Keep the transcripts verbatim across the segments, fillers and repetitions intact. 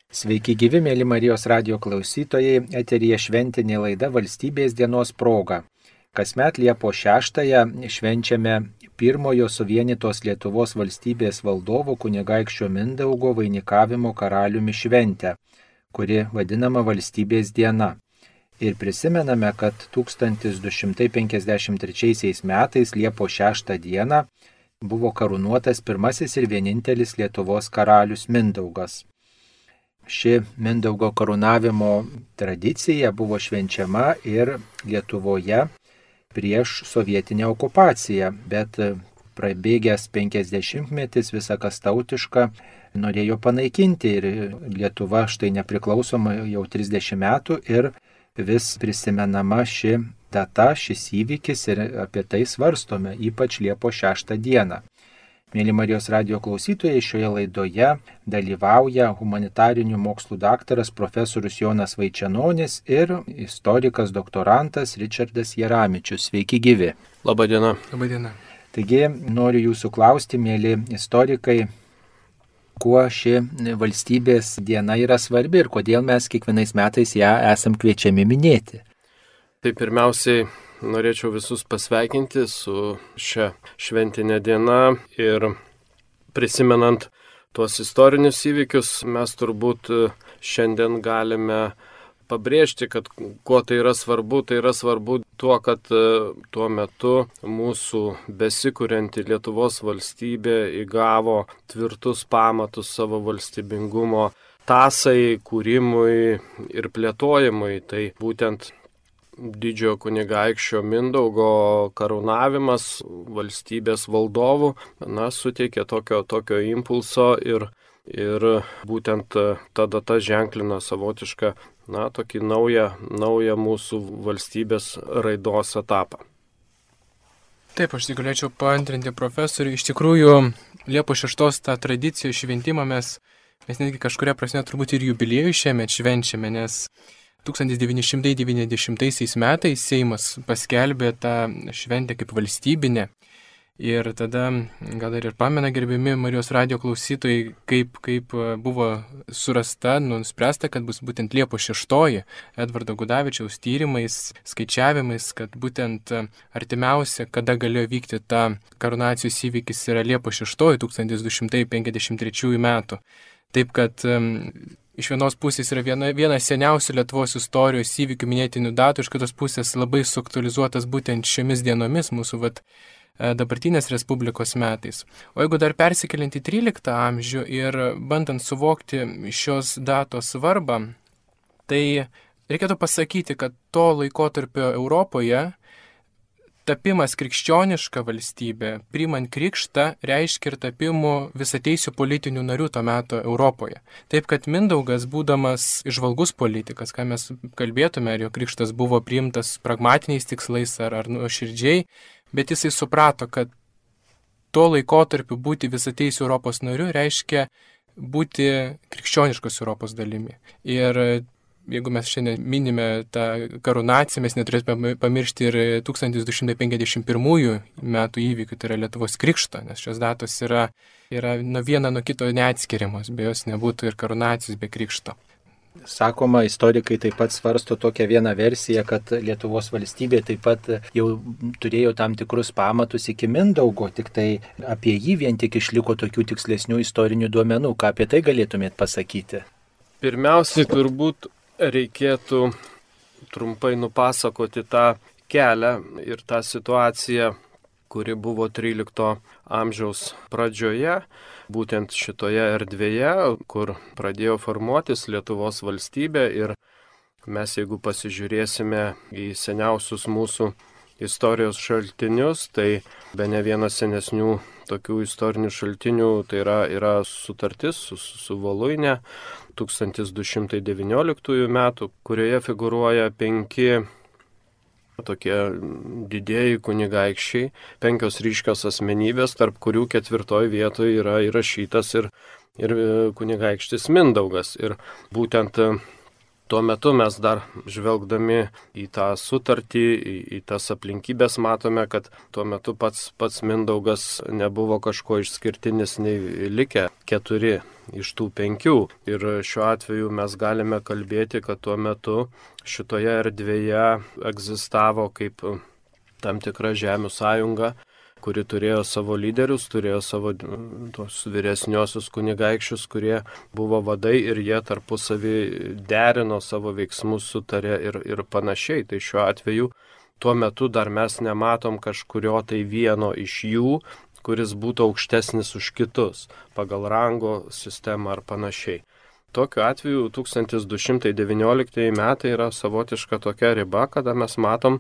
Sveiki gyvi, mėly Marijos radijo klausytojai, eteryje šventinė laida Valstybės dienos proga. Kasmet Liepos šeštąją švenčiame pirmojo suvienytos Lietuvos valstybės valdovo kunigaikščio Mindaugo vainikavimo karaliumi šventę, kuri vadinama Valstybės diena. Ir prisimename, kad tūkstantis du šimtai penkiasdešimt trečiaisiais metais Liepos šeštą dieną buvo karūnuotas pirmasis ir vienintelis Lietuvos karalius Mindaugas. Ši Mindaugo karūnavimo tradicija buvo švenčiama ir Lietuvoje prieš sovietinę okupaciją, bet prabėgęs penkiasdešimtmetis visą kas tautišką norėjo panaikinti ir Lietuva štai nepriklausoma jau trisdešimt metų ir vis prisimenama ši data, šis įvykis ir apie tai svarstome, ypač Liepos šeštą dieną. Mėly Marijos radijo klausytojai, šioje laidoje dalyvauja humanitarinių mokslų daktaras profesorius Jonas Vaičenonis ir istorikas doktorantas Ričardas Jeramičius. Sveiki gyvi. Labadiena. Labadiena. Taigi noriu jūsų klausti, mėly istorikai, kuo ši valstybės diena yra svarbi ir kodėl mes kiekvienais metais ją esam kviečiami minėti. Tai pirmiausiai norėčiau visus pasveikinti su šia šventinė diena ir prisimenant tuos istorinius įvykius, mes turbūt šiandien galime pabrėžti, kad kuo tai yra svarbu, tai yra svarbu tuo, kad tuo metu mūsų besikurianti Lietuvos valstybė įgavo tvirtus pamatus savo valstybingumo tąsai, kūrimui ir plėtojimui. Tai būtent didžiojo kunigaikščio Mindaugo karūnavimas valstybės valdovų, na, suteikė tokio, tokio impulso ir, ir būtent ta data ženklina savotišką, na, tokį naują, naują mūsų valstybės raidos etapą. Taip, aš tik galėčiau paantrinti profesoriui. Iš tikrųjų, Liepos šeštos tą tradiciją šventimą mes, mes netgi kažkuria prasme turbūt ir jubiliejų šiemet švenčiame, nes tūkstantis devyni šimtai devyniasdešimtaisiais metais Seimas paskelbė tą šventę kaip valstybinę. Ir tada, gal ir pamena gerbiami Marijos radijo klausytojai, kaip, kaip buvo surasta, nuspręsta, kad bus būtent Liepos šeštoji Edvardo Gudavičiaus tyrimais, skaičiavimais, kad būtent artimiausia, kada galėjo vykti ta karūnacijos įvykis, yra Liepos šeštoji tūkstantis du šimtai penkiasdešimt trečiųjų metų. Taip kad iš vienos pusės yra viena, viena seniausių Lietuvos istorijos įvykių minėtinių datų, iš kitos pusės labai suaktualizuotas būtent šiomis dienomis mūsų vat, dabartinės Respublikos metais. O jeigu dar persikeliant į tryliktą amžių ir bandant suvokti šios datos svarbą, tai reikėtų pasakyti, kad to laikotarpio Europoje tapimas krikščioniška valstybė, priimant krikštą, reiškia ir tapimų visateisių politinių narių to meto Europoje. Taip, kad Mindaugas, būdamas įžvalgus politikas, ką mes kalbėtume, ar jo krikštas buvo priimtas pragmatiniais tikslais ar, ar nuoširdžiai, bet jisai suprato, kad tuo laikotarpiu būti visateisių Europos nariu reiškia būti krikščioniškos Europos dalimi. Ir jeigu mes šiandien minime tą karūnaciją, mes neturėtume pamiršti ir tūkstantis du šimtai penkiasdešimt pirmųjų metų įvykių, tai yra Lietuvos krikšto, nes šios datos yra, yra nuo viena nuo kito neatskiriamos, be jos nebūtų ir karūnacijos be krikšto. Sakoma, istorikai taip pat svarsto tokią vieną versiją, kad Lietuvos valstybė taip pat jau turėjo tam tikrus pamatus iki Mindaugo, tik tai apie jį vien tik išliko tokių tikslesnių istorinių duomenų. Ką apie tai galėtumėt pasakyti? Pirmiausiai turbūt reikėtų trumpai nupasakoti tą kelią ir tą situaciją, kuri buvo trylikto amžiaus pradžioje, būtent šitoje erdvėje, kur pradėjo formuotis Lietuvos valstybė. Ir mes, jeigu pasižiūrėsime į seniausius mūsų istorijos šaltinius, tai bene vienas senesnių tokių istorinių šaltinių tai yra, yra sutartis su, su Voluine tūkstantis du šimtai devynioliktųjų metų, kurioje figūruoja penki tokie didieji kunigaikščiai, penkios ryškios asmenybės, tarp kurių ketvirtoj vietoje yra įrašytas ir, ir kunigaikštis Mindaugas. Ir būtent tuo metu mes dar žvelgdami į tą sutartį, į, į tas aplinkybės matome, kad tuo metu pats, pats Mindaugas nebuvo kažko išskirtinis, nei likę keturi iš tų penkių. Ir šiuo atveju mes galime kalbėti, kad tuo metu šitoje erdvėje egzistavo kaip tam tikra žemių sąjunga, kuri turėjo savo lyderius, turėjo savo tos vyresniosius kunigaikščius, kurie buvo vadai ir jie tarpusavį derino savo veiksmus, sutarė ir, ir panašiai. Tai šiuo atveju tuo metu dar mes nematom kažkurio tai vieno iš jų, kuris būtų aukštesnis už kitus pagal rango sistemą ar panašiai. Tokiu atveju tūkstantis du šimtai devynioliktieji metai yra savotiška tokia riba, kada mes matom,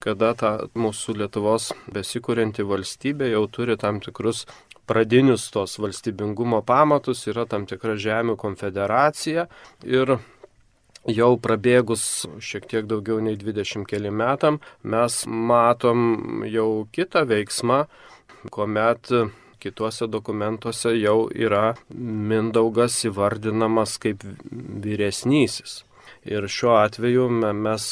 kada ta mūsų Lietuvos besikurianti valstybė jau turi tam tikrus pradinius tos valstybingumo pamatus, yra tam tikra žemių konfederacija ir jau prabėgus šiek tiek daugiau nei dvidešimt keli metam mes matom jau kitą veiksmą, kuomet kituose dokumentuose jau yra Mindaugas įvardinamas kaip vyresnysis. Ir šiuo atveju mes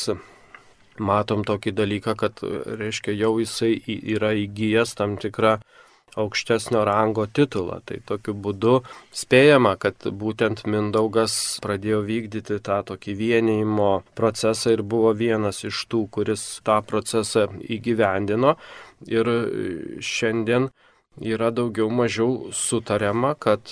matom tokį dalyką, kad, reiškia, jau jisai yra įgyjęs tam tikrą aukštesnio rango titulą. Tai tokiu būdu spėjama, kad būtent Mindaugas pradėjo vykdyti tą tokį vienijimo procesą ir buvo vienas iš tų, kuris tą procesą įgyvendino. Ir šiandien yra daugiau mažiau sutariama, kad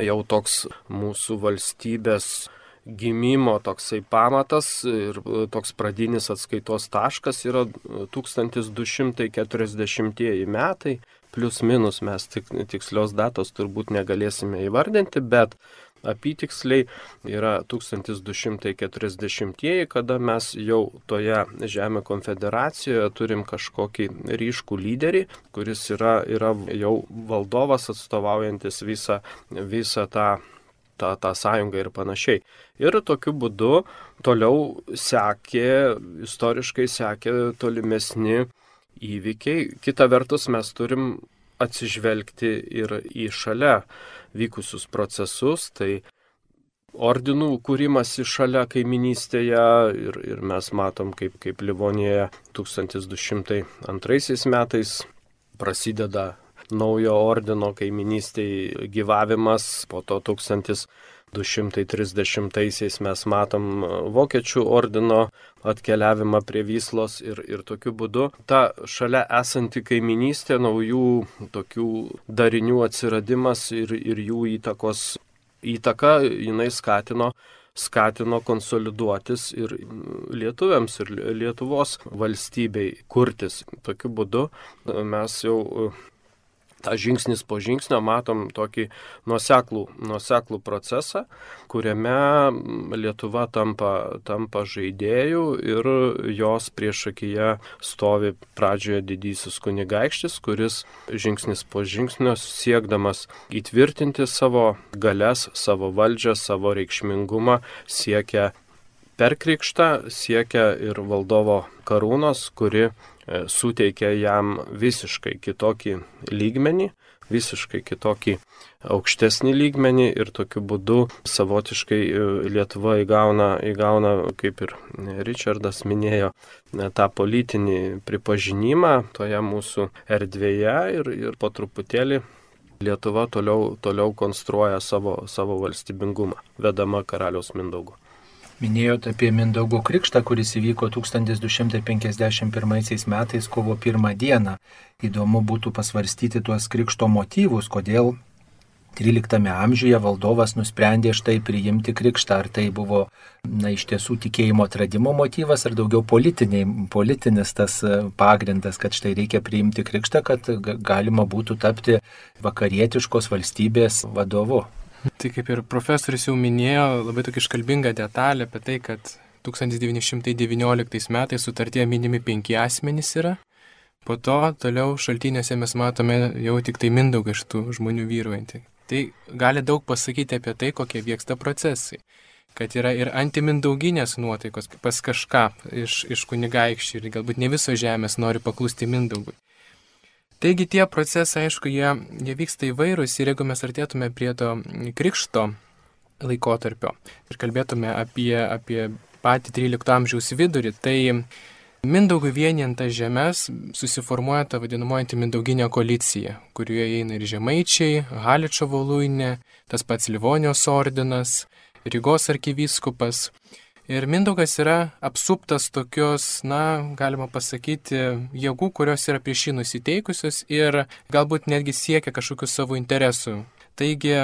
jau toks mūsų valstybės gimimo toksai pamatas ir toks pradinis atskaitos taškas yra tūkstantis du šimtai keturiasdešimtieji metai, plius minus mes tik, tikslios datos turbūt negalėsime įvardinti, bet apytiksliai yra tūkstantis du šimtai keturiasdešimtieji, kada mes jau toje Žemių konfederacijoje turim kažkokį ryškų lyderį, kuris yra, yra jau valdovas atstovaujantis visą, visą tą tą, tą sąjungą ir panašiai. Ir tokiu būdu toliau sekė, istoriškai sekė tolimesni įvykiai. Kita vertus mes turim atsižvelgti ir į šalia vykusius procesus, tai ordinų kūrimas į šalia kaiminystėje ir, ir mes matom, kaip, kaip Livonijoje tūkstantis du šimtai antraisiais metais prasideda naujo ordino kaiminystėje gyvavimas, po to tūkstantis du šimtai trisdešimtaisiais mes matom vokiečių ordino atkeliavimą prie Vyslos ir, ir tokiu būdu ta šalia esanti kaiminystė, naujų tokių darinių atsiradimas ir, ir jų įtakos įtaka, jinai skatino, skatino konsoliduotis ir lietuviams, ir Lietuvos valstybei kurtis. Tokiu būdu mes jau tą žingsnis po žingsnio matom tokį nuoseklų, nuoseklų procesą, kuriame Lietuva tampa, tampa žaidėjų ir jos priešakyje stovi pradžioje didysis kunigaikštis, kuris žingsnis po žingsnio siekdamas įtvirtinti savo galias, savo valdžią, savo reikšmingumą, siekia per krikštą, siekia ir valdovo karūnos, kuri suteikia jam visiškai kitokį lygmenį, visiškai kitokį aukštesnį lygmenį ir tokiu būdu savotiškai Lietuva įgauna, įgauna, kaip ir Ričardas minėjo, tą politinį pripažinimą toje mūsų erdvėje ir, ir po truputėlį Lietuva toliau, toliau konstruoja savo, savo valstybingumą, vedama karaliaus Mindaugo. Minėjote apie Mindaugo krikštą, kuris įvyko tūkstantis du šimtai penkiasdešimt pirmaisiais metais kovo pirmą dieną. Įdomu būtų pasvarstyti tuos krikšto motyvus, kodėl tryliktame amžiuje valdovas nusprendė štai priimti krikštą. Ar tai buvo na, iš tiesų tikėjimo atradimo motyvas, ar daugiau politinis tas pagrindas, kad štai reikia priimti krikštą, kad galima būtų tapti vakarietiškos valstybės vadovu. Tai kaip ir profesorius jau minėjo, labai tokia iškalbinga detalė apie tai, kad tūkstantis devyni šimtai devynioliktais metais sutartyje minimi penki asmenys yra. Po to toliau šaltiniuose mes matome jau tik tai Mindaugą iš tų žmonių vyruojantį. Tai gali daug pasakyti apie tai, kokie vyksta procesai. Kad yra ir antimindauginės nuotaikos pas kažką iš, iš kunigaikščių ir galbūt ne visos žemės nori paklusti Mindaugui. Taigi tie procesai, aišku, jie, jie vyksta įvairūs ir jeigu mes artėtume prie to krikšto laikotarpio ir kalbėtume apie, apie patį trylikto amžiaus vidurį, tai Mindaugui vienijant tas žemes susiformuoja ta vadinamoji Mindauginė koalicija, kurioje įeina ir žemaičiai, Haličo voluinė, tas pats Livonijos ordinas, Rygos arkivyskupas. Ir Mindaugas yra apsuptas tokios, na, galima pasakyti, jėgų, kurios yra prieš jį nusiteikusios ir galbūt netgi siekia kažkokių savo interesų. Taigi,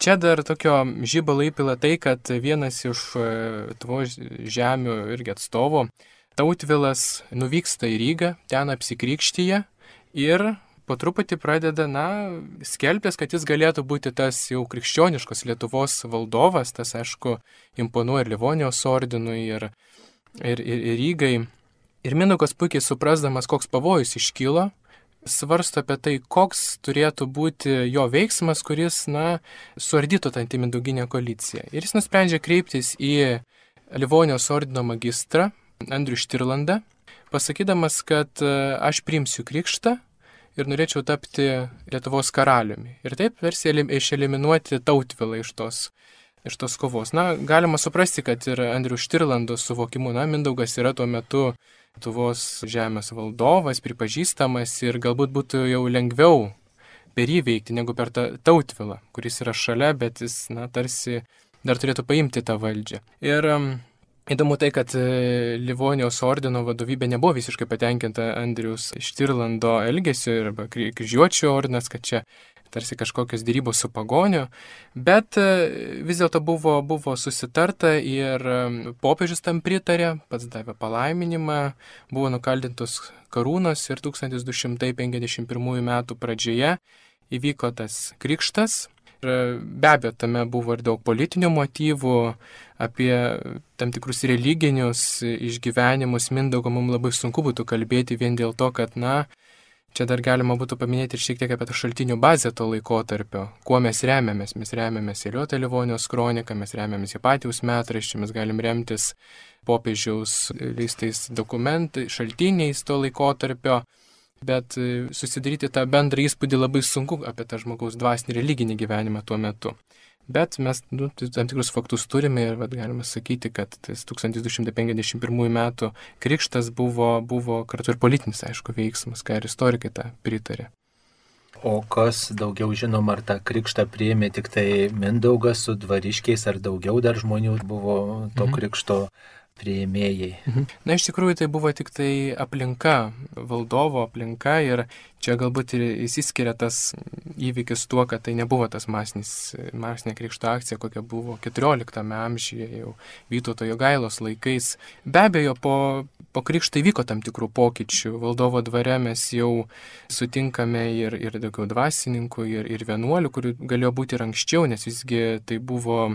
čia dar tokio žibalo įpila tai, kad vienas iš Lietuvos žemių irgi atstovų, Tautvilas, nuvyksta į Rygą, ten apsikrikštyje ir po truputį pradeda, na, skelbtis, kad jis galėtų būti tas jau krikščioniškos Lietuvos valdovas, tas, aišku, imponuoja ir Livonijos ordinui, ir, ir, ir, ir Rygai. Ir Mindaugas puikiai suprasdamas, koks pavojus iškilo, svarsto apie tai, koks turėtų būti jo veiksmas, kuris, na, suardytų tą Mindauginę koaliciją. Ir jis nusprendžia kreiptis į Livonijos ordino magistrą, Andrių Štirlandą, pasakydamas, kad aš priimsiu krikštą ir norėčiau tapti Lietuvos karaliumi. Ir taip tarsi išeliminuoti Tautvilą iš tos, iš tos kovos. Na, galima suprasti, kad ir Andrių Štirlando suvokimu, na, Mindaugas yra tuo metu Lietuvos žemės valdovas, pripažįstamas ir galbūt būtų jau lengviau per jį veikti negu per tą Tautvilą, kuris yra šalia, bet jis, na, tarsi dar turėtų paimti tą valdžią. Ir įdomu tai, kad Livonijos ordino vadovybė nebuvo visiškai patenkinta Andriaus Štirlando elgesio ir kryžiuočių ordinas, kad čia tarsi kažkokios dėrybos su pagoniu, bet vis dėlto buvo, buvo susitarta ir popiežius tam pritarė, pats davė palaiminimą, buvo nukaldintos karūnos ir tūkstantis du šimtai penkiasdešimt pirmųjų metų pradžioje įvyko tas krikštas. Ir be abejo, tame buvo ir daug politinių motyvų, apie tam tikrus religinius išgyvenimus Mindaugo mums labai sunku būtų kalbėti vien dėl to, kad, na, čia dar galima būtų paminėti ir šiek tiek apie tą šaltinių bazę to laikotarpio. Kuo mes remiamės? Mes remiamės Eliotą Livonijos kroniką, mes remiamės Hipatijaus metraščių, mes galim remtis popiežiaus leistais dokumentais, šaltiniais to laikotarpio. Bet susidaryti tą bendrą įspūdį labai sunku apie tą žmogaus dvasinį religinį gyvenimą tuo metu. Bet mes, nu, tam tikrus faktus turime ir vat, galime sakyti, kad tas tūkstantis du šimtai penkiasdešimt pirmųjų metų krikštas buvo, buvo kartu ir politinis, aišku, veiksmas, ką ir istorikai tą pritarė. O kas daugiau žinom, ar tą krikštą priėmė tik tai Mindaugas su dvariškiais, ar daugiau dar žmonių buvo to mhm. krikšto priėmėjai? Mhm. Na, iš tikrųjų, tai buvo tik tai aplinka, valdovo aplinka ir čia galbūt ir įsiskiria tas įvykis tuo, kad tai nebuvo tas masinis, masinė krikšto akcija, kokia buvo keturioliktame amžiuje, jau Vytauto Jogailos laikais. Be abejo, po, po krikšto įvyko tam tikrų pokyčių. Valdovo dvare mes jau sutinkame ir, ir daugiau dvasininkų, ir, ir vienuolių, kurių galėjo būti ir anksčiau, nes visgi tai buvo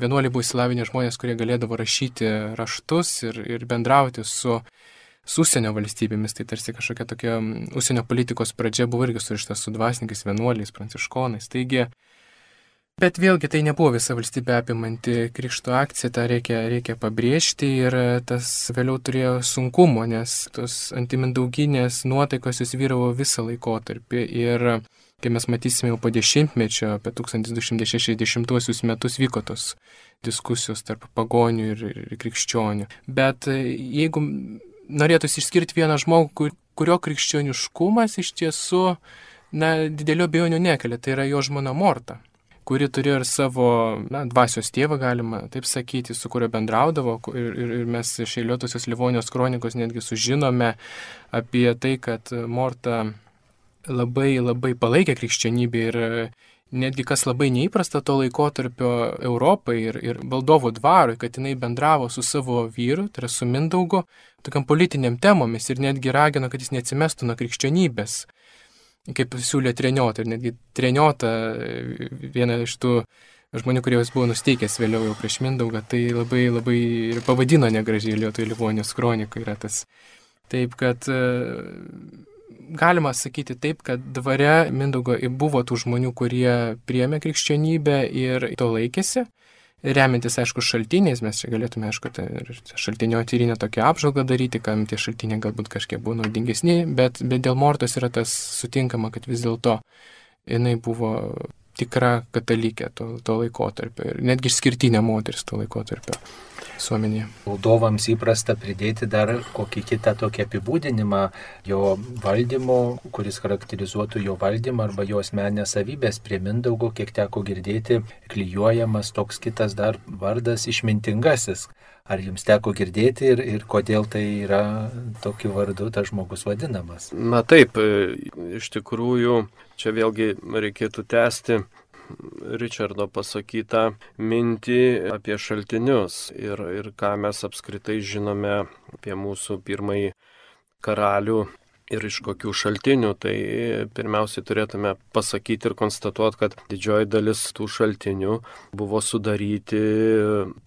vienuoliai buvo įsilavinę žmonės, kurie galėdavo rašyti raštus ir, ir bendrauti su, su užsienio valstybėmis. Tai tarsi kažkokia tokia užsienio politikos pradžia buvo irgi surišta su dvasininkais, vienuoliais, pranciškonais. Taigi, bet vėlgi tai nebuvo visa valstybė apimanti krikšto akcija, tą reikia, reikia pabrėžti ir tas vėliau turėjo sunkumo, nes tos antimindauginės nuotaikos jūs vyravo visą laikotarpį ir kai mes matysime jau po dešimtmečio, apie tūkstantis du šimtai šešiasdešimtuosius metus vyko tos diskusijos tarp pagonių ir, ir krikščionių. Bet jeigu norėtųsi išskirti vieną žmogų, kur, kurio krikščioniškumas iš tiesų na, didelio abejonių nekelia, tai yra jo žmona Morta, kuri turėjo ir savo na, dvasios tėvą, galima taip sakyti, su kurio bendraudavo. Ir, ir, ir mes iš Eiliuotosios Livonijos kronikos netgi sužinome apie tai, kad Morta labai labai palaikė krikščionybę ir netgi kas labai neįprasta to laikotarpio Europai ir, ir valdovo dvarui, kad jinai bendravo su savo vyru, tai yra su Mindaugu, tokiam politiniam temomis ir netgi ragino, kad jis neatsimestų nuo krikščionybės, kaip siūlė Treniotą. Ir netgi Treniotą, viena iš tų žmonių, kurie buvo nusteikęs vėliau jau prieš Mindaugą, tai labai labai ir pavadino negražiai Eliuotoje Livonijos kronikoje yra tas. Taip, kad galima sakyti taip, kad dvare Mindaugo buvo tų žmonių, kurie priėmė krikščionybę ir to laikėsi. Remiantis, aišku, šaltiniais, mes čia galėtume, aišku, šaltinio tyrinę tokią apžvalgą daryti, kam tie šaltiniai galbūt kažkiek buvo naudingesni, bet, bet dėl Mortos yra tas sutinkama, kad vis dėlto jinai buvo tikra katalikė to, to laikotarpio ir netgi išskirtinė moteris to laikotarpio visuomenėje. Valdovams įprasta pridėti dar kokį kitą tokį apibūdinimą jo valdymo, kuris charakterizuotų jo valdymą arba jo asmeninės savybės. Prie Mindaugo, kiek teko girdėti, klijuojamas toks kitas dar vardas išmintingasis. Ar jums teko girdėti ir, ir kodėl tai yra tokiu vardu tas žmogus vadinamas? Na taip, iš tikrųjų, čia vėlgi reikėtų tęsti Ričardo pasakytą mintį apie šaltinius ir, ir ką mes apskritai žinome apie mūsų pirmąjį karalių ir iš kokių šaltinių. Tai pirmiausiai turėtume pasakyti ir konstatuoti, kad didžioji dalis tų šaltinių buvo sudaryti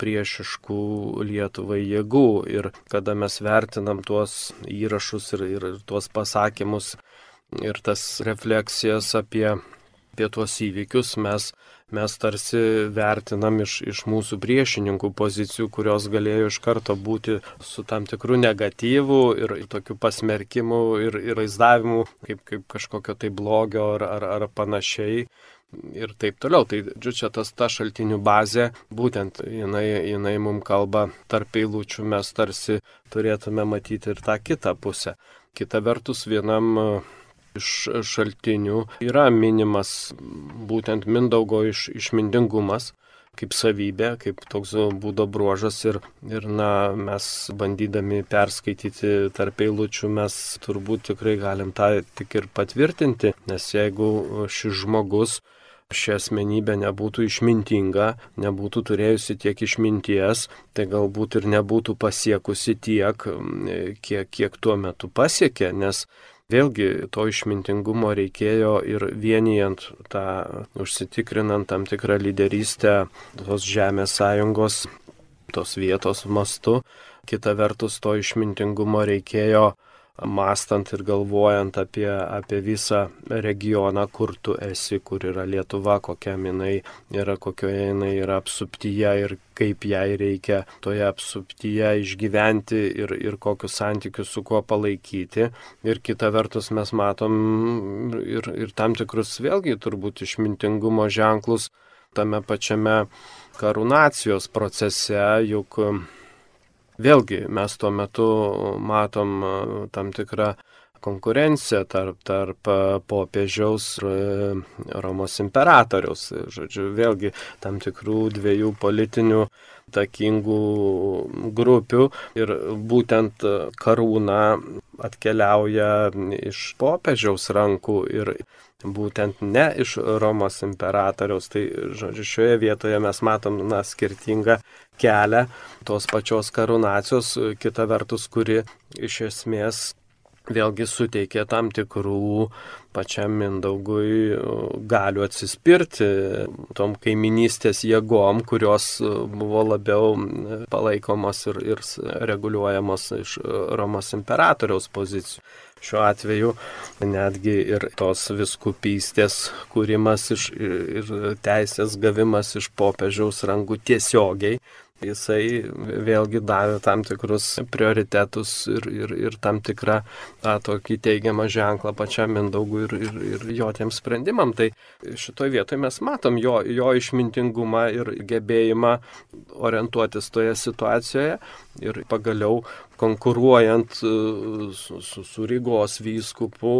priešiškų Lietuvai jėgų. Ir kada mes vertinam tuos įrašus ir, ir, ir tuos pasakymus ir tas refleksijas apie apie tuos įvykius, mes, mes tarsi vertinam iš, iš mūsų priešininkų pozicijų, kurios galėjo iš karto būti su tam tikru negatyvu ir tokiu pasmerkimu ir, ir vaizdavimu kaip, kaip kažkokio tai blogio ar, ar, ar panašiai. Ir taip toliau. Tai čia tas ta šaltinių bazė, būtent jinai, jinai mums kalba tarp eilučių, mes tarsi turėtume matyti ir tą kitą pusę. Kita vertus, vienam iš šaltinių yra minimas būtent Mindaugo iš, išmintingumas kaip savybė, kaip toks būdo bruožas ir, ir na, mes bandydami perskaityti tarp eilučių, mes turbūt tikrai galim tą tik ir patvirtinti, nes jeigu šis žmogus, ši asmenybė nebūtų išmintinga, nebūtų turėjusi tiek išminties, tai galbūt ir nebūtų pasiekusi tiek, kiek, kiek tuo metu pasiekė, nes vėlgi to išmintingumo reikėjo ir vienijant tą, užsitikrinant tam tikrą lyderystę tos žemės sąjungos, tos vietos mastu. Kita vertus, to išmintingumo reikėjo mąstant ir galvojant apie, apie visą regioną, kur tu esi, kur yra Lietuva, kokia jinai yra, kokioje jinai yra apsuptyje ir kaip jai reikia toje apsuptyje išgyventi ir, ir kokius santykius su kuo palaikyti. Ir kita vertus mes matom ir, ir tam tikrus vėlgi turbūt išmintingumo ženklus tame pačiame karūnacijos procese, juk vėlgi mes tuo metu matom tam tikrą konkurenciją tarp, tarp popiežiaus ir Romos imperatoriaus. Žodžiu, vėlgi tam tikrų dviejų politinių takingų grupių ir būtent karūna atkeliauja iš popiežiaus rankų ir būtent ne iš Romos imperatoriaus. Tai, žodžiu, šioje vietoje mes matom na, skirtingą kelią tos pačios karūnacijos, kita vertus, kuri iš esmės vėlgi suteikė tam tikrų pačiam Mindaugui galių atsispirti tom kaiminystės jėgom, kurios buvo labiau palaikomos ir, ir reguliuojamos iš Romos imperatoriaus pozicijų. Šiuo atveju netgi ir tos viskupystės kūrimas iš, ir teisės gavimas iš popiežiaus rankų tiesiogiai, jisai vėlgi davė tam tikrus prioritetus ir, ir, ir tam tikrą tą tokį teigiamą ženklą pačiam Mindaugui ir, ir, ir jo tiem sprendimam. Tai šitoje vietoje mes matom jo, jo išmintingumą ir gebėjimą orientuotis toje situacijoje ir pagaliau konkuruojant su, su, su Rygos vyskupu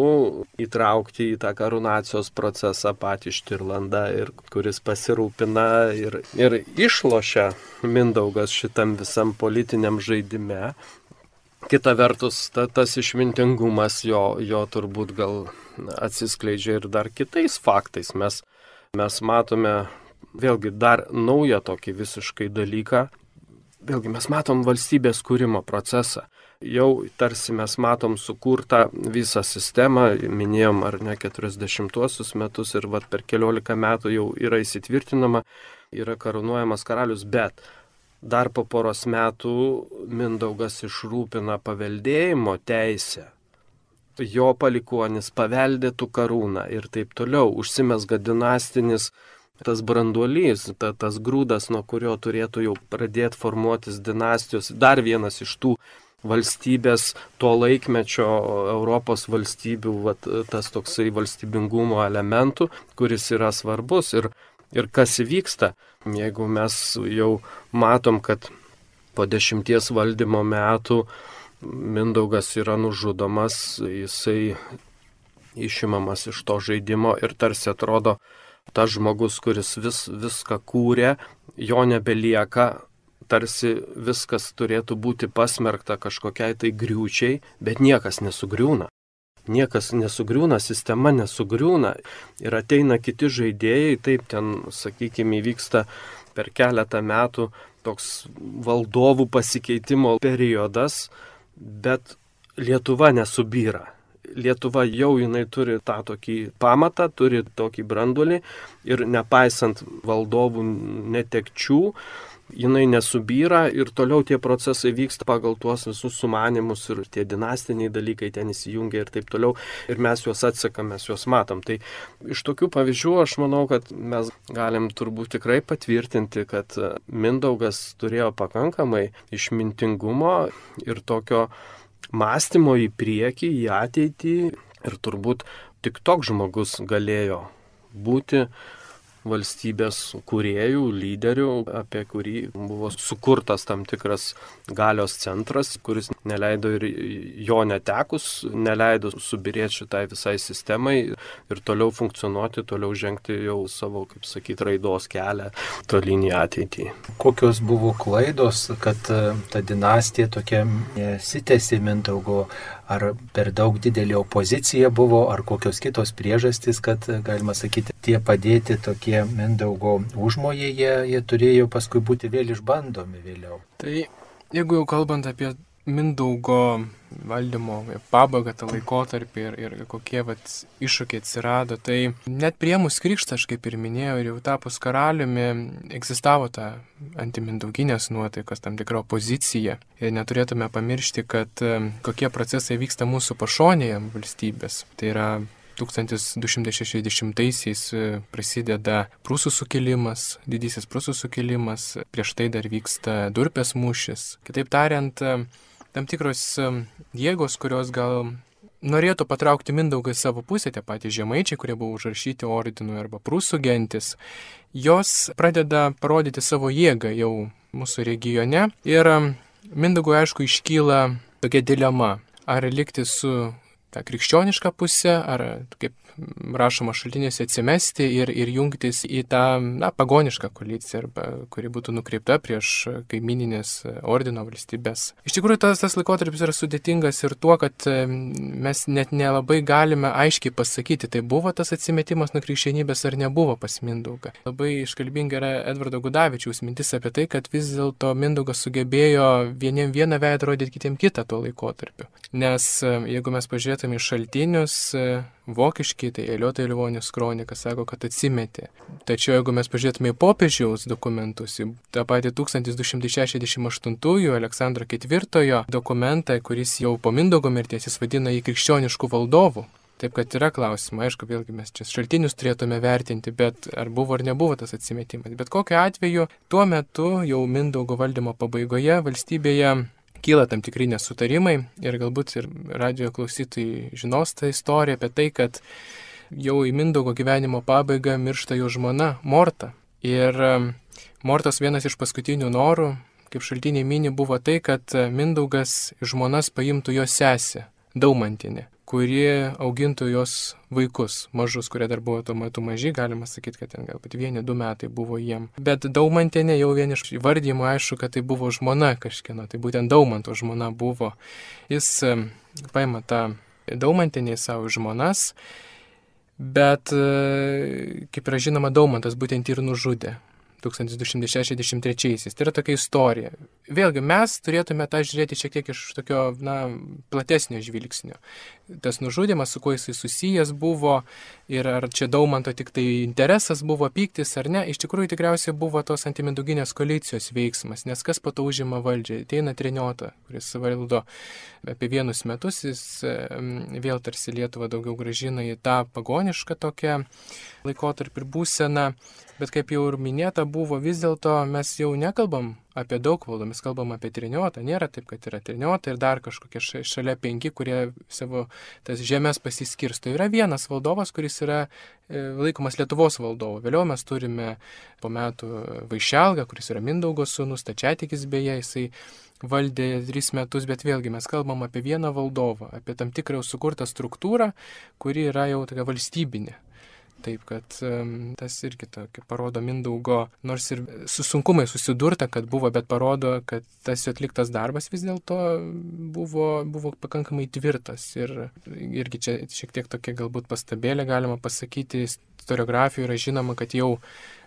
įtraukti į tą karūnacijos procesą patį Štirlandą, ir kuris pasirūpina ir, ir išlošia Mindaugas šitam visam politiniam žaidime. Kita vertus, ta, tas išmintingumas jo, jo turbūt gal atsiskleidžia ir dar kitais faktais. Mes, mes matome vėlgi dar naują tokį visiškai dalyką. Vėlgi mes matom valstybės kūrimo procesą. Jau tarsi mes matom sukurtą visą sistemą, minėjom ar ne keturiasdešimtuosius metus ir vat per keliolika metų jau yra įsitvirtinama, yra karūnuojamas karalius, bet dar po poros metų Mindaugas išrūpina paveldėjimo teisę. Jo palikuonis paveldėtų karūną ir taip toliau, užsimesga dinastinis tas branduolys, ta, tas grūdas, nuo kurio turėtų jau pradėti formuotis dinastijos, dar vienas iš tų valstybės, to laikmečio Europos valstybių, vat, tas toksai valstybingumo elementų, kuris yra svarbus ir, ir kas įvyksta. Jeigu mes jau matom, kad po dešimties valdymo metų Mindaugas yra nužudomas, jisai išimamas iš to žaidimo ir tarsi atrodo, tas žmogus, kuris vis, viską kūrė, jo nebelieka, tarsi viskas turėtų būti pasmerkta kažkokiai tai griūčiai, bet niekas nesugriūna. Niekas nesugriūna, sistema nesugriūna ir ateina kiti žaidėjai, taip ten, sakykime, įvyksta per keletą metų toks valdovų pasikeitimo periodas, bet Lietuva nesubyra. Lietuva jau jinai turi tą tokį pamatą, turi tokį branduolį ir nepaisant valdovų netekčių, jinai nesubyra ir toliau tie procesai vyksta pagal tuos visus sumanimus ir tie dinastiniai dalykai ten įsijungia ir taip toliau. Ir mes juos atsekam, mes juos matom. Tai iš tokių pavyzdžių aš manau, kad mes galim turbūt tikrai patvirtinti, kad Mindaugas turėjo pakankamai išmintingumo ir tokio mąstymo į priekį, į ateitį. Ir turbūt tik toks žmogus galėjo būti valstybės kūrėjų, lyderių, apie kurį buvo sukurtas tam tikras galios centras, kuris neleido ir jo netekus, neleido subirėti šitai visai sistemai ir toliau funkcionuoti, toliau žengti jau savo, kaip sakyti, raidos kelią tolyn į ateitį. Kokios buvo klaidos, kad ta dinastija tokia nesitęsė Mindaugo? Ar per daug didelė opozicija buvo, ar kokios kitos priežastys, kad, galima sakyti, tie padėti tokie Mindaugo užmojai, jie, jie turėjo paskui būti vėl išbandomi vėliau. Tai jeigu jau kalbant apie Mindaugo valdymo pabaigą, tą laikotarpį ir, ir kokie vat, iššūkiai atsirado, tai net priėmus krikštą, aš kaip ir minėjau, ir jau tapus karaliumi, egzistavo ta antimindauginės nuotaikos, tam tikra opozicija. Ir neturėtume pamiršti, kad kokie procesai vyksta mūsų pašonėje valstybės. Tai yra tūkstantis du šimtai šešiasdešimtaisiais prasideda Prūsų sukilimas, didysis Prūsų sukilimas, prieš tai dar vyksta Durpės mūšis. Kitaip tariant, tam tikros jėgos, kurios gal norėtų patraukti Mindaugą į savo pusę, tie patys žemaičiai, kurie buvo užrašyti ordinui arba Prūsų gentis, jos pradeda parodyti savo jėgą jau mūsų regione. Ir Mindaugui, aišku, iškyla tokia dilema, ar likti su tą krikščionišką pusę, ar, kaip rašoma šaltinėse, atsimesti ir, ir jungtis į tą na, pagonišką koaliciją, arba, kuri būtų nukreipta prieš kaimininės ordino valstybės. Iš tikrųjų, tas, tas laikotarpis yra sudėtingas ir tuo, kad mes net nelabai galime aiškiai pasakyti, tai buvo tas atsimetimas nuo krikščionybės ar nebuvo pas Mindaugą. Labai iškalbinga yra Edvardo Gudavičiaus mintis apie tai, kad vis dėlto Mindaugas sugebėjo vieniem vieną veidą rodyti, kitiem kitą tuo laikotarpiu. Nes jeigu mes pažiūrėtume į šaltinius, vokiški, tai Eliotė Livonius kronika sako, kad atsimetė. Tačiau jeigu mes pažiūrėtume į popiežiaus dokumentus, į tą patį tūkstantis du šimtai šešiasdešimt aštuntųjų Aleksandro ketvirtojo dokumentą, kuris jau po Mindaugo mirties jis vadina jį krikščioniškų valdovų. Taip kad yra klausimai, aišku, vėlgi mes čia šaltinius turėtume vertinti, bet ar buvo ar nebuvo tas atsimetimas. Bet kokiu atveju, tuo metu jau Mindaugo valdymo pabaigoje valstybėje kyla tam tikri nesutarimai ir galbūt ir radijo klausytojai žinos tą istoriją apie tai, kad jau į Mindaugo gyvenimo pabaigą miršta jo žmona Morta. Ir Mortos vienas iš paskutinių norų, kaip šaltiniai mini, buvo tai, kad Mindaugas žmonas paimtų jo sesę, Daumantienę, kuri augintų jos vaikus, mažus, kurie dar buvo tuo metu maži, galima sakyti, kad ten galbūt vieni, du metai buvo jiem. Bet Daumantienė jau vien iš įvardymo aišku, kad tai buvo žmona kažkieno, tai būtent Daumanto žmona buvo. Jis paima tą Daumantienę į savo žmonas, bet, kaip yra žinoma, Daumantas būtent ir nužudė tūkstantis du šimtai šešiasdešimt trečiaisiais. Tai yra tokia istorija. Vėlgi, mes turėtume tą žiūrėti šiek tiek iš tokio, na, platesnio žvilgsnio. Tas nužudymas, su kuo jisai susijęs buvo ir ar čia Daumanto tik tai interesas buvo, pyktis ar ne, iš tikrųjų tikriausiai buvo tos antimindauginės koalicijos veiksmas, nes kas po to užima valdžią? Ateina Treniota, kuris valdo apie vienus metus, jis vėl tarsi Lietuvą daugiau grąžina į tą pagonišką tokią laikotarpį ir būseną, bet kaip jau ir minėta buvo vis dėlto, mes jau nekalbam apie daug valdų, mes kalbam apie triniotą. Nėra taip, kad yra triniota ir dar kažkokie šalia penki, kurie savo tas žemės pasiskirsto. Yra vienas valdovas, kuris yra laikomas Lietuvos valdovu. Vėliau mes turime po metų Vaišelgą, kuris yra Mindaugo sūnus, Stačiatikis beje, jisai valdė tris metus, bet vėlgi mes kalbam apie vieną valdovą, apie tam tikrą sukurtą struktūrą, kuri yra jau tokia valstybinė. Taip, kad um, tas irgi tokia parodo Mindaugo, nors ir su sunkumai susidurta, kad buvo, bet parodo, kad tas jo atliktas darbas vis dėlto buvo, buvo pakankamai tvirtas. Ir irgi čia šiek tiek tokia galbūt pastabėlė galima pasakyti, istoriografijoje yra žinoma, kad jau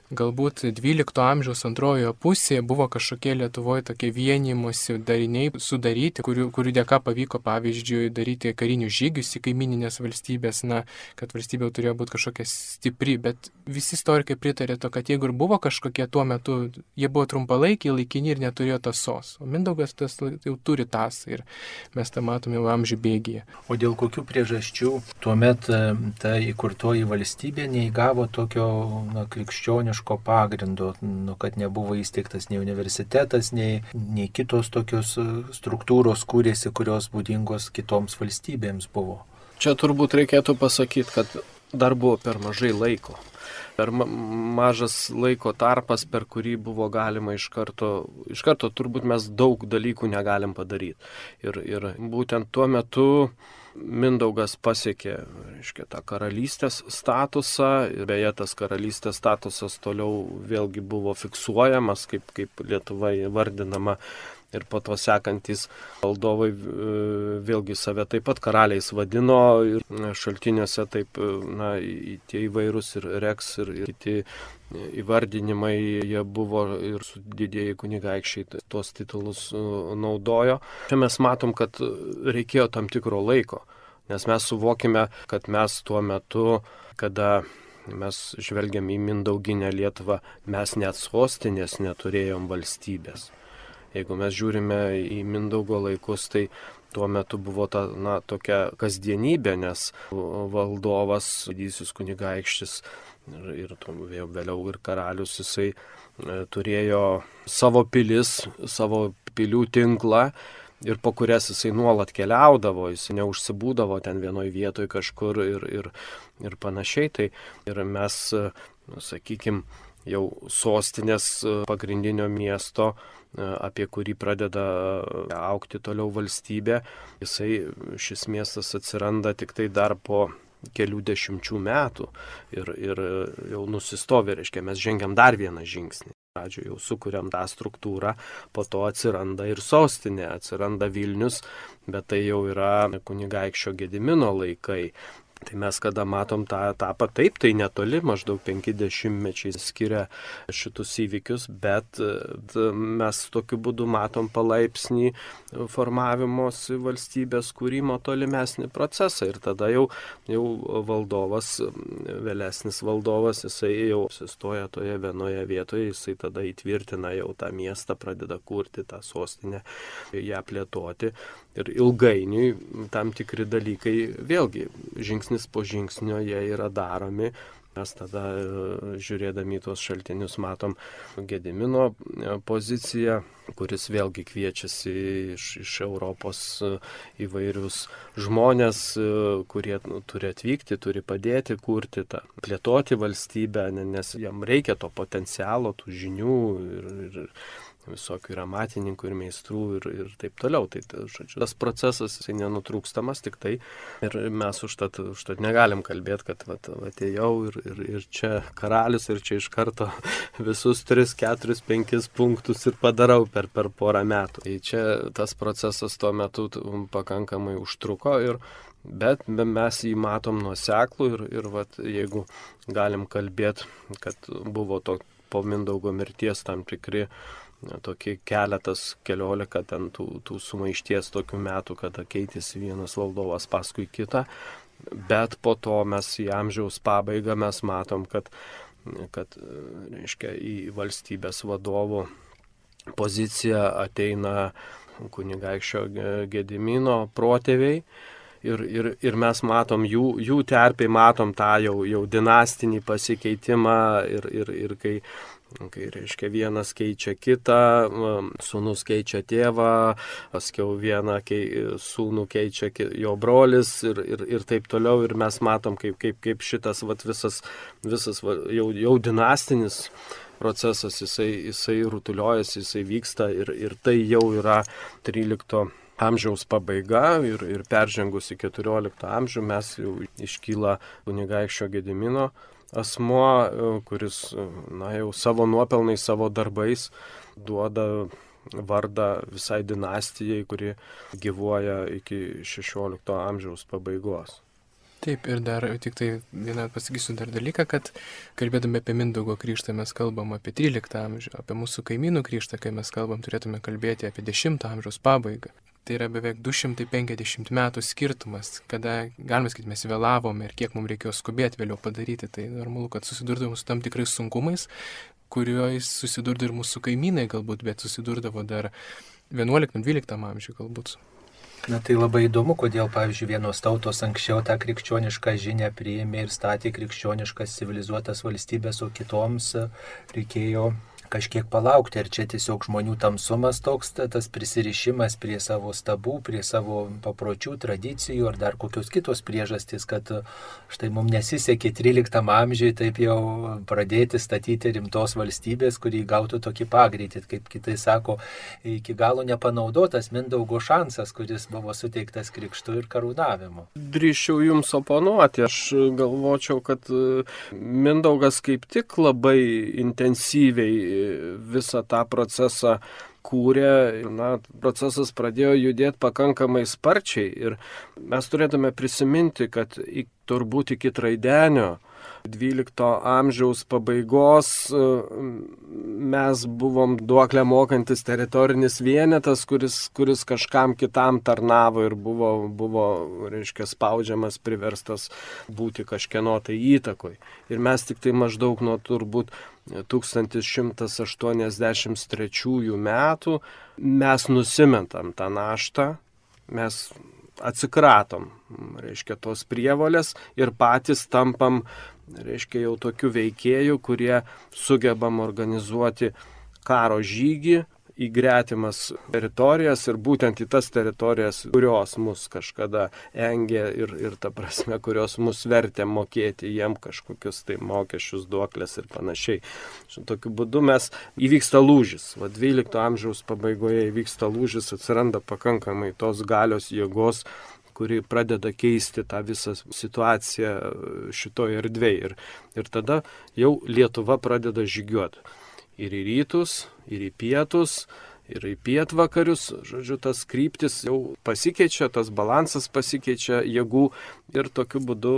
galbūt dvylikto amžiaus antrojoje pusėje buvo kažkokie Lietuvoje tokie vienijimosi dariniai sudaryti, kurių, kurių dėka pavyko, pavyzdžiui, daryti karinius žygius į kaimininės valstybės, na, kad valstybė turėjo būti kažkokia stipri, bet visi istorikai pritarė to, kad jeigu ir buvo kažkokie tuo metu, jie buvo trumpalaikiai, laikini ir neturėjo tasos. O Mindaugas tas jau turi tasą ir mes tą matome jau amžių bėgyje. O dėl kokių priežasčių tuomet ta įkurtoji valstybė neįgavo tokio, na, krikščioniško pagrindo, nu, kad nebuvo įsteigtas nei universitetas, nei, nei kitos tokios struktūros kūrėsi, kurios būdingos kitoms valstybėms buvo. Čia turbūt reikėtų pasakyti, kad dar buvo per mažai laiko. Per ma- mažas laiko tarpas, per kurį buvo galima iš karto, iš karto turbūt mes daug dalykų negalim padaryti. Ir, ir būtent tuo metu Mindaugas pasiekė, reiškia, tą karalystės statusą ir beje tas karalystės statusas toliau vėlgi buvo fiksuojamas, kaip, kaip Lietuva įvardinama. Ir po to sekantis valdovai vėlgi save taip pat karaliais vadino ir šaltiniuose taip, na, tie įvairūs ir Reks ir, ir kiti įvardinimai jie buvo ir su didieji kunigaikščiai tuos titulus naudojo. Čia mes matom, kad reikėjo tam tikro laiko, nes mes suvokime, kad mes tuo metu, kada mes žvelgiam į Mindauginę Lietuvą, mes net sostinės neturėjom valstybės. Jeigu mes žiūrime į Mindaugo laikus, tai tuo metu buvo ta, na, tokia kasdienybė, nes valdovas, didysis kunigaikštis ir, ir vėliau ir karalius, jisai turėjo savo pilis, savo pilių tinklą ir po kurias jisai nuolat keliaudavo, jis neužsibūdavo ten vienoj vietoj kažkur ir, ir, ir panašiai. Tai ir mes, sakykime, jau sostinės pagrindinio miesto, apie kurį pradeda augti toliau valstybė, jisai, šis miestas atsiranda tik tai dar po kelių dešimčių metų ir, ir jau nusistovi, reiškia, mes žengiam dar vieną žingsnį. Pradžioje jau sukuriam tą struktūrą, po to atsiranda ir sostinė, atsiranda Vilnius, bet tai jau yra kunigaikščio Gedimino laikai. Tai mes kada matom tą etapą, taip, tai netoli, maždaug penki dešimtmečiai skiria šitus įvykius, bet mes tokiu būdu matom palaipsnį formavimosi valstybės kūrimo tolimesnį procesą ir tada jau, jau valdovas, vėlesnis valdovas, jisai jau apsistoja toje vienoje vietoje, jisai tada įtvirtina jau tą miestą, pradeda kurti tą sostinę, ją plėtoti ir ilgainiui tam tikri dalykai vėlgi žingsnis po žingsnio jie yra daromi. Mes tada žiūrėdami tuos šaltinius matom Gedimino poziciją, kuris vėlgi kviečiasi iš, iš Europos įvairius žmonės, kurie nu, turi atvykti, turi padėti kurti tą, plėtoti valstybę, nes jam reikia to potencialo, tų žinių ir, ir visokių ir amatininkų, ir meistrų, ir, ir taip toliau. Tai, žodžiu, tas procesas jisai nenutrūkstamas tik tai ir mes užtat, užtat negalim kalbėti, kad vat, atėjau ir, ir, ir čia karalius, ir čia iš karto visus tris, keturis, penkis punktus ir padarau per, per porą metų. Tai čia tas procesas tuo metu pakankamai užtruko, ir, bet mes jį matom nuoseklų ir, ir vat, jeigu galim kalbėti, kad buvo to po Mindaugo mirties tam tikri tokie keletas, keliolika ten tų, tų sumaišties tokių metų, kada keitėsi vienas valdovas paskui kitą, bet po to mes į amžiaus pabaigą mes matom, kad, kad reiškia, į valstybės vadovų poziciją ateina kunigaikščio Gedimino protėviai. Ir, ir, ir mes matom jų, jų terpėj, matom tą jau, jau dinastinį pasikeitimą ir, ir, ir kai kai, reiškia, vienas keičia kitą, sūnus keičia tėvą, paskiau vieną kei, sūnų keičia jo brolis ir, ir, ir taip toliau. Ir mes matom, kaip, kaip, kaip šitas vat, visas, visas va, jau, jau dinastinis procesas, jisai, jisai rutuliojasi, jisai vyksta ir, ir tai jau yra trylikto amžiaus pabaiga ir, ir peržengus į keturioliktą amžių mes jau iškyla kunigaikščio Gedimino asmuo, kuris, na, jau savo nuopelnais, savo darbais duoda vardą visai dinastijai, kuri gyvuoja iki šešiolikto amžiaus pabaigos. Taip, ir dar tik tai vieną pasakysiu dar dalyką, kad kalbėdami apie Mindaugo krikštą mes kalbam apie tryliktą amžių, apie mūsų kaimynų krikštą, kai mes kalbam, turėtume kalbėti apie dešimto amžiaus pabaigą. Tai yra beveik du šimtai penkiasdešimt metų skirtumas, kada, galime sakyti, mes vėlavome ir kiek mums reikėjo skubėti vėliau padaryti. Tai normalu, kad susidurdavome su tam tikrais sunkumais, kuriuos susidurdavo ir mūsų kaimynai galbūt, bet susidurdavo dar vienuoliktam dvyliktam amžiui galbūt. Na tai labai įdomu, kodėl, pavyzdžiui, vienos tautos anksčiau tą krikščionišką žinią priėmė ir statė krikščioniškas civilizuotas valstybės, o kitoms reikėjo kažkiek palaukti. Ir čia tiesiog žmonių tamsumas toks, tas prisirišimas prie savo stabų, prie savo papročių, tradicijų ar dar kokios kitos priežastys, kad štai mums nesisekė tryliktam amžiui taip jau pradėti statyti rimtos valstybės, kuri gautų tokį pagreitį, kaip kitai sako, iki galo nepanaudotas Mindaugo šansas, kuris buvo suteiktas krikštu ir karūnavimu. Drįščiau jums oponuoti, aš galvočiau, kad Mindaugas kaip tik labai intensyviai visą tą procesą kūrė, na, procesas pradėjo judėti pakankamai sparčiai ir mes turėtume prisiminti, kad į, turbūt iki Traidenio dvylikto amžiaus pabaigos mes buvom duoklę mokantis teritorinis vienetas, kuris, kuris kažkam kitam tarnavo ir buvo, buvo, reiškia, spaudžiamas, priverstas būti kažkieno tai įtakoj. Ir mes tik tai maždaug nuo turbūt tūkstantis šimtas aštuoniasdešimt trečiųjų metų mes nusimentam tą naštą, mes atsikratom, reiškia, tos prievolės ir patys tampam, reiškia, jau tokių veikėjų, kurie sugebam organizuoti karo žygį į gretimas teritorijas ir būtent į tas teritorijas, kurios mus kažkada engė ir, ir ta prasme, kurios mus vertė mokėti jiem kažkokius tai mokesčius, duoklės ir panašiai. Šitokiu būdu mes įvyksta lūžis. Va, dvylikto amžiaus pabaigoje įvyksta lūžis, atsiranda pakankamai tos galios jėgos, kuri pradeda keisti tą visą situaciją šitoje erdvėje. Ir, ir tada jau Lietuva pradeda žygiuoti. Ir į rytus, ir į pietus, ir į pietvakarius, žodžiu, tas kryptis jau pasikeičia, tas balansas pasikeičia jėgų ir tokiu būdu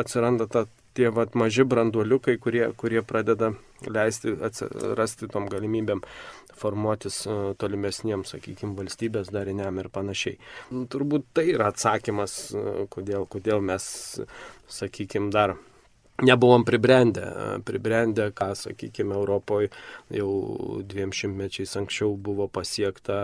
atsiranda ta, tie vat, maži branduoliukai, kurie, kurie pradeda leisti atsirasti tom galimybėm formuotis tolimesniems, sakykime, valstybės dariniam ir panašiai. Turbūt tai yra atsakymas, kodėl, kodėl mes, sakykime, dar nebuvom pribrendę, pribrendę, ką, sakykime, Europoje jau dviem šimtmečiais anksčiau buvo pasiekta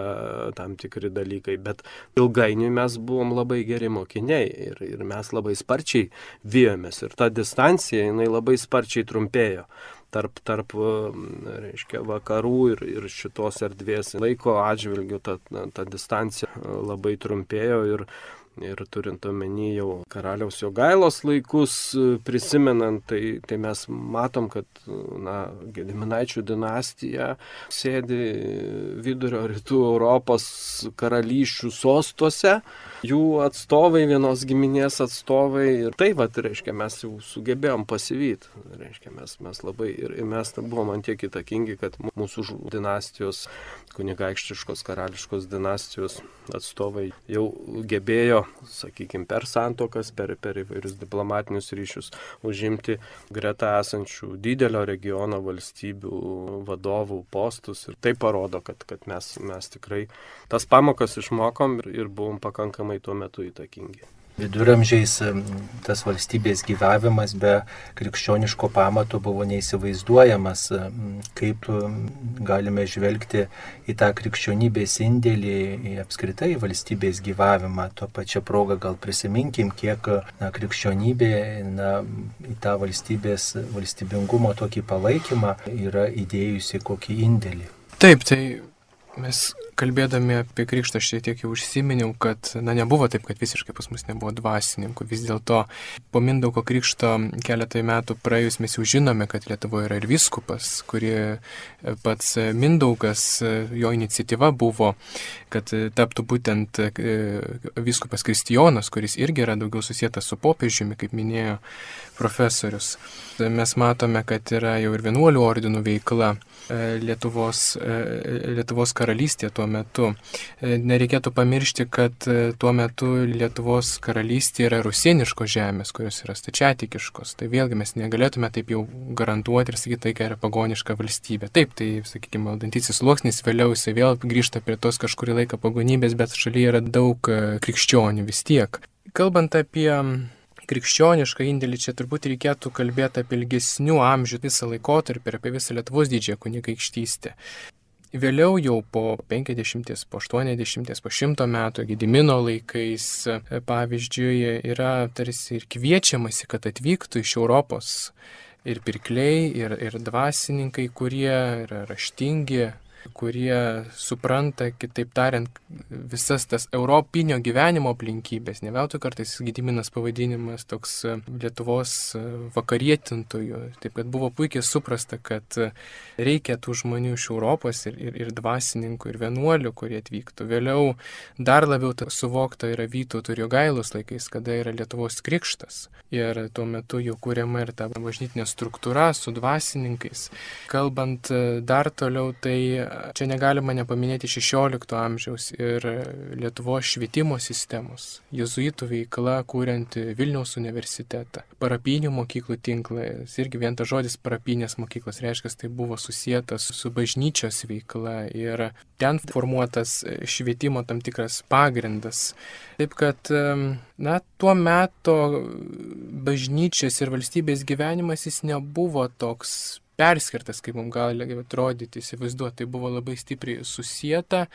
tam tikri dalykai, bet ilgainiui mes buvom labai geri mokiniai ir, ir mes labai sparčiai vijomės ir ta distancija, jinai labai sparčiai trumpėjo. Tarp, tarp, reiškia, vakarų ir, ir šitos erdvės laiko atžvilgių ta, ta distancija labai trumpėjo ir, ir turint omeny jau karaliaus Jogailos laikus prisimenant, tai, tai mes matom, kad, na, Gediminaičių dinastija sėdi vidurio rytų Europos karalysčių sostuose, jų atstovai, vienos giminės atstovai ir tai, va, reiškia, mes jau sugebėjom pasivyti, reiškia, mes, mes labai ir, ir mes buvom ant tiek įtakingi, kad mūsų dinastijos, kunigaikštiškos karališkos dinastijos atstovai jau gebėjo, sakykime, per santuokas, per, per įvairius diplomatinius ryšius užimti greta esančių didelio regiono valstybių vadovų postus ir tai parodo, kad, kad mes, mes tikrai tas pamokas išmokom ir, ir buvom pakankamai tuo metu įtakingi. Viduramžiais tas valstybės gyvavimas be krikščioniško pamato buvo neįsivaizduojamas, kaip galime žvelgti į tą krikščionybės indėlį, į apskritai valstybės gyvavimą. Tuo pačią progą gal prisiminkim, kiek na, krikščionybė na, į tą valstybės, valstybingumo tokį palaikymą yra įdėjusi kokį indėlį. Taip, tai mes kalbėdami apie krikštą šiek tiek jau užsiminiau, kad na, nebuvo taip, kad visiškai pas mus nebuvo dvasininkų. Vis dėlto po Mindaugo krikšto keletą metų praėjus mes jau žinome, kad Lietuvoje yra ir vyskupas, kuri pats Mindaugas, jo iniciatyva buvo, kad taptų būtent vyskupas Kristijonas, kuris irgi yra daugiau susietas su popiežiumi, kaip minėjo profesorius. Mes matome, kad yra jau ir vienuolių ordinų veikla Lietuvos, Lietuvos karalystė tuo metu. Nereikėtų pamiršti, kad tuo metu Lietuvos karalystė yra rusieniškos žemės, kurios yra stačiatikiškos. Tai vėlgi mes negalėtume taip jau garantuoti ir sakyti, tai yra pagoniška valstybė. Taip, tai, sakykime, valdantysis sluoksnis vėliau jisai vėl grįžta prie tos kažkurį laiką pagonybės, bet šalyje yra daug krikščionių vis tiek. Kalbant apie krikščionišką indėlį, čia turbūt reikėtų kalbėti apie ilgesnių amžių visą laikotarpį ir apie visą Lietuvos didžiąją kunigaikštystę. Vėliau jau po penkiasdešimties, po aštuoniasdešimties, po šimto metų Gedimino laikais, pavyzdžiui, yra tarsi ir kviečiamasi, kad atvyktų iš Europos ir pirkliai, ir, ir dvasininkai, kurie yra raštingi, kurie supranta, kitaip tariant, visas tas europinio gyvenimo aplinkybės. Ne veltui kartais Gediminas pavadinimas toks Lietuvos vakarietintojų. Taip, kad buvo puikiai suprasta, kad reikia tų žmonių iš Europos ir, ir, ir dvasininkų, ir vienuolių, kurie atvyktų. Vėliau dar labiau suvokta yra Vytauto ir Jogailos laikais, kada yra Lietuvos krikštas. Ir tuo metu jau kūriama ir ta bažnytinė struktūra su dvasininkais. Kalbant dar toliau, tai čia negalima nepaminėti šešiolikto amžiaus ir Lietuvos švietimo sistemos, jėzuitų veikla, kuriant Vilniaus universitetą, parapinių mokyklų tinklą. Irgi vien tas žodis parapinės mokyklos reiškia, tai buvo susijęs su bažnyčios veikla ir ten formuotas švietimo tam tikras pagrindas. Taip kad, na, tuo metu bažnyčios ir valstybės gyvenimas jis nebuvo toks perskirtas, kaip mums gali atrodyti, įsivaizduoti, tai buvo labai stipriai susieta.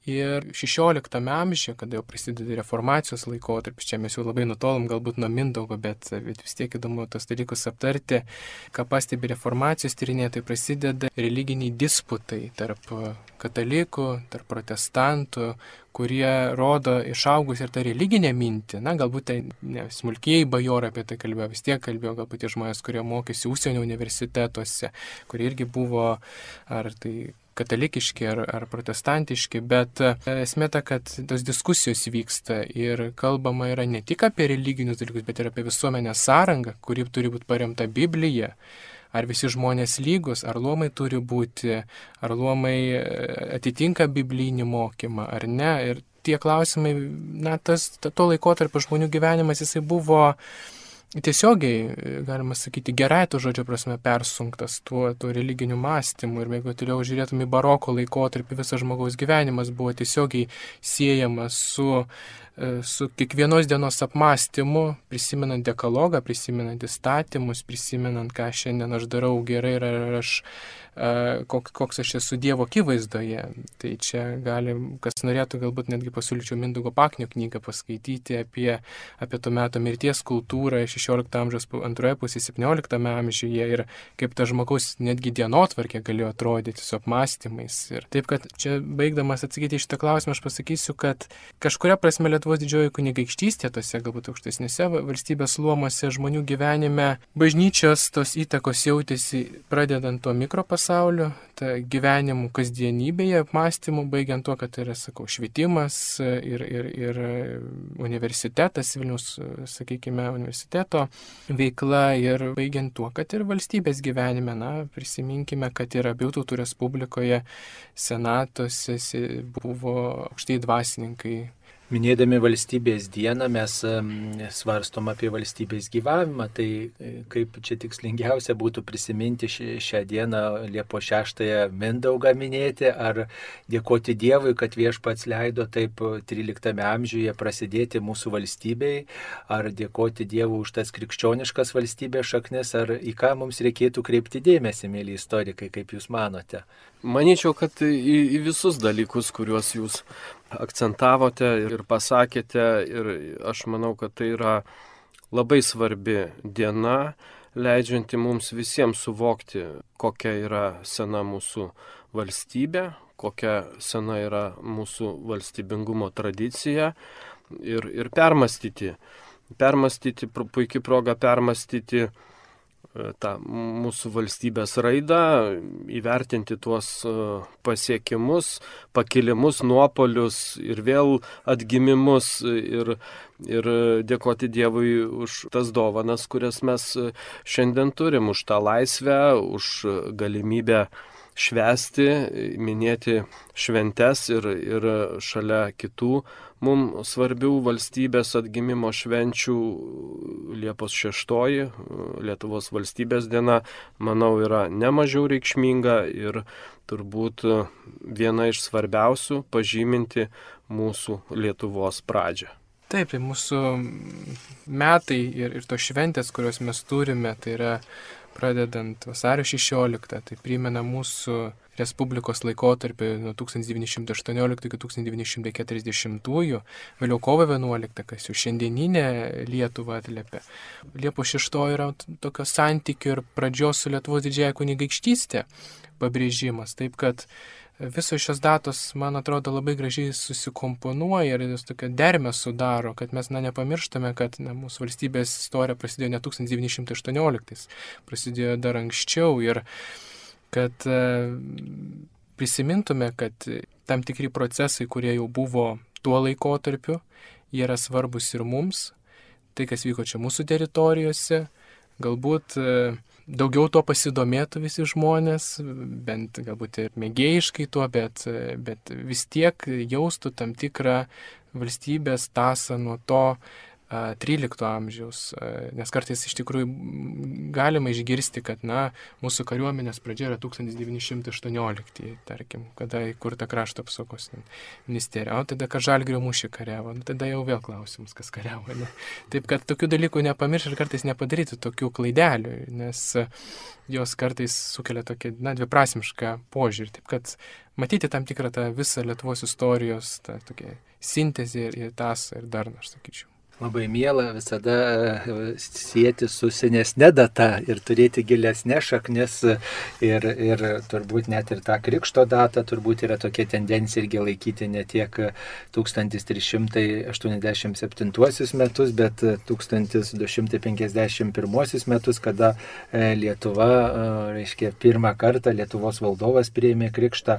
Ir šešioliktame amžiuje, kada jau prasideda reformacijos laikotarpis, čia mes jau labai nutolom galbūt nuo Mindaugo, bet, bet vis tiek įdomu tos dalykus aptarti, ką pastebi reformacijos tyrinėtojai, prasideda religiniai disputai tarp katalikų, tarp protestantų, kurie rodo išaugus ir tą religinę mintį. Na, galbūt tai ne, smulkieji bajorai apie tai kalbėjo, vis tiek kalbėjo galbūt tie žmonės, kurie mokėsi užsienio universitetuose, kurie irgi buvo ar tai katalikiški ar, ar protestantiški, bet esmė ta, kad tos diskusijos vyksta ir kalbama yra ne tik apie religinius dalykus, bet ir apie visuomenės sąrangą, kuri turi būti paremta Biblija. Ar visi žmonės lygus, ar luomai turi būti, ar luomai atitinka biblinį mokymą, ar ne. Ir tie klausimai, na, tas, to laikotarpio žmonių gyvenimas, jisai buvo tiesiogiai, galima sakyti, gerai to žodžio prasme persunktas tuo, tuo religiniu mąstymu. Ir jeigu toliau žiūrėtume į baroko laikotarpį, visas žmogaus gyvenimas buvo tiesiogiai siejamas su, su kiekvienos dienos apmąstymu, prisimenant dekalogą, prisimenant įstatymus, prisimenant, ką šiandien aš darau gerai ir ar aš, koks, koks aš esu Dievo akivaizdoje. Tai čia gali, kas norėtų, galbūt netgi pasiūlyčiau Mindaugo Paknio knygą paskaityti apie, apie to meto mirties kultūrą šešiolikto amžiaus antroje pusėje, septynioliktame amžiuje ir kaip ta žmogaus netgi dienotvarkė galėjo atrodyti su apmąstymais. Ir taip, kad čia baigdamas atsakyti į šitą klausimą, aš pasakysiu, kad kažkuria prasme Lietuvos didžioji kunigaikštystė, tose galbūt aukštesnėse valstybės luomose žmonių gyvenime, bažnyčios tos įtakos jautėsi pradedant tuo mikropasauliu, ta gyvenimų kasdienybėje, apmąstymų, baigiant tuo, kad yra, sakau, švietimas ir, ir, ir universitetas, Vilniaus, sakykime, universiteto veikla ir baigiant tuo, kad ir valstybės gyvenime, na, prisiminkime, kad ir abiejų tautų respublikoje senatuose buvo aukštieji dvasininkai, Minėdami valstybės dieną mes svarstom apie valstybės gyvavimą, tai kaip čia tikslingiausia būtų prisiminti šią dieną Liepos šeštąją Mindaugą minėti, ar dėkoti Dievui, kad Viešpats leido taip tryliktame amžiuje prasidėti mūsų valstybei, ar dėkoti Dievui už tas krikščioniškas valstybės šaknis, ar į ką mums reikėtų kreipti dėmesį, mėly istorikai, kaip jūs manote? Manyčiau, kad į, į visus dalykus, kuriuos jūs akcentavote ir pasakėte, ir aš manau, kad tai yra labai svarbi diena, leidžianti mums visiems suvokti, kokia yra sena mūsų valstybė, kokia sena yra mūsų valstybingumo tradicija ir, ir permastyti. Permastyti, puikiai proga permastyti tą mūsų valstybės raidą, įvertinti tuos pasiekimus, pakilimus, nuopolius ir vėl atgimimus ir, ir dėkoti Dievui už tas dovanas, kurias mes šiandien turim, už tą laisvę, už galimybę švęsti, minėti šventes ir, ir šalia kitų mums svarbių valstybės atgimimo švenčių Liepos šeštoji, Lietuvos valstybės diena, manau, yra nemažiau reikšminga ir turbūt viena iš svarbiausių pažyminti mūsų Lietuvos pradžią. Taip, tai mūsų metai ir, ir tos šventės, kurios mes turime, tai yra pradedant vasario šešioliktą, tai primena mūsų Respublikos laikotarpį nuo tūkstantis devyni šimtai aštuonioliktų iki tūkstantis devyni šimtai keturiasdešimtųjų, vėliau kovo vienuoliktą, kas jau šiandieninę Lietuvą atliepia. Liepos šeštoji yra tokio santykių ir pradžios su Lietuvos didžiąja kunigaikštystė pabrėžimas, taip kad visos šios datos, man atrodo, labai gražiai susikomponuoja ir jos tokia dermę sudaro, kad mes na, nepamirštame, kad na, mūsų valstybės istorija prasidėjo ne tūkstantis devyni šimtai aštuonioliktais, prasidėjo dar anksčiau ir kad e, prisimintume, kad tam tikri procesai, kurie jau buvo tuo laikotarpiu, jie yra svarbus ir mums, tai kas vyko čia mūsų teritorijose, galbūt e, daugiau to pasidomėtų visi žmonės, bent galbūt ir mėgėjiškai tuo, bet, bet vis tiek jaustų tam tikrą valstybės tąsą nuo to trylikto amžiaus, nes kartais iš tikrųjų galima išgirsti, kad na, mūsų kariuomenės pradžia yra tūkstantis devyni šimtai aštuoniolikti, tarkim, kada įkurta krašto apsaugos ministerija, o tada, kad Žalgirio mūšį kariavo, nu, tada jau vėl klausimas, kas kariavo. Ne? Taip, kad tokių dalykų nepamiršti ir kartais nepadaryti tokių klaidelių, nes jos kartais sukelia tokį, na, dviprasmišką požiūrį. Taip, kad matyti tam tikrą tą visą Lietuvos istorijos, tą tokią sintezę ir, ir tasą ir darną, aš sakyčiau. Labai miela visada sieti su senesne data ir turėti gilesnė šaknis ir, ir turbūt net ir tą krikšto datą turbūt yra tokia tendencija irgi laikyti ne tiek tūkstantis trys šimtai aštuoniasdešimt septintuosius metus, bet tūkstantis du šimtai penkiasdešimt pirmuosius metus, kada Lietuva, reiškia, pirmą kartą Lietuvos valdovas priėmė krikštą.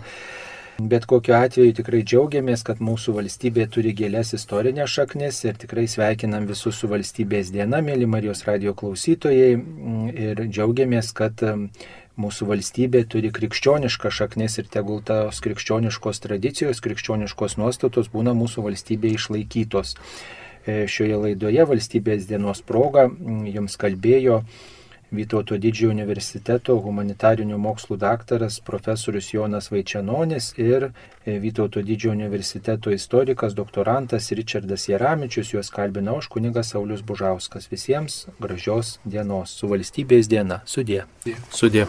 Bet kokiu atveju tikrai džiaugiamės, kad mūsų valstybė turi gilias istorinės šaknis ir tikrai sveikinam visus su valstybės diena, mėly Marijos radijo klausytojai, ir džiaugiamės, kad mūsų valstybė turi krikščionišką šaknis ir tegul tos krikščioniškos tradicijos, krikščioniškos nuostatos būna mūsų valstybėje išlaikytos. Šioje laidoje valstybės dienos proga jums kalbėjo Vytauto Didžiojo universiteto humanitarinių mokslų daktaras profesorius Jonas Vaičenonis ir Vytauto Didžiojo universiteto istorikas doktorantas Ričardas Jaramičius, juos kalbina aš kunigas Saulius Bužauskas. Visiems gražios dienos su valstybės diena. Sudie. Sudie.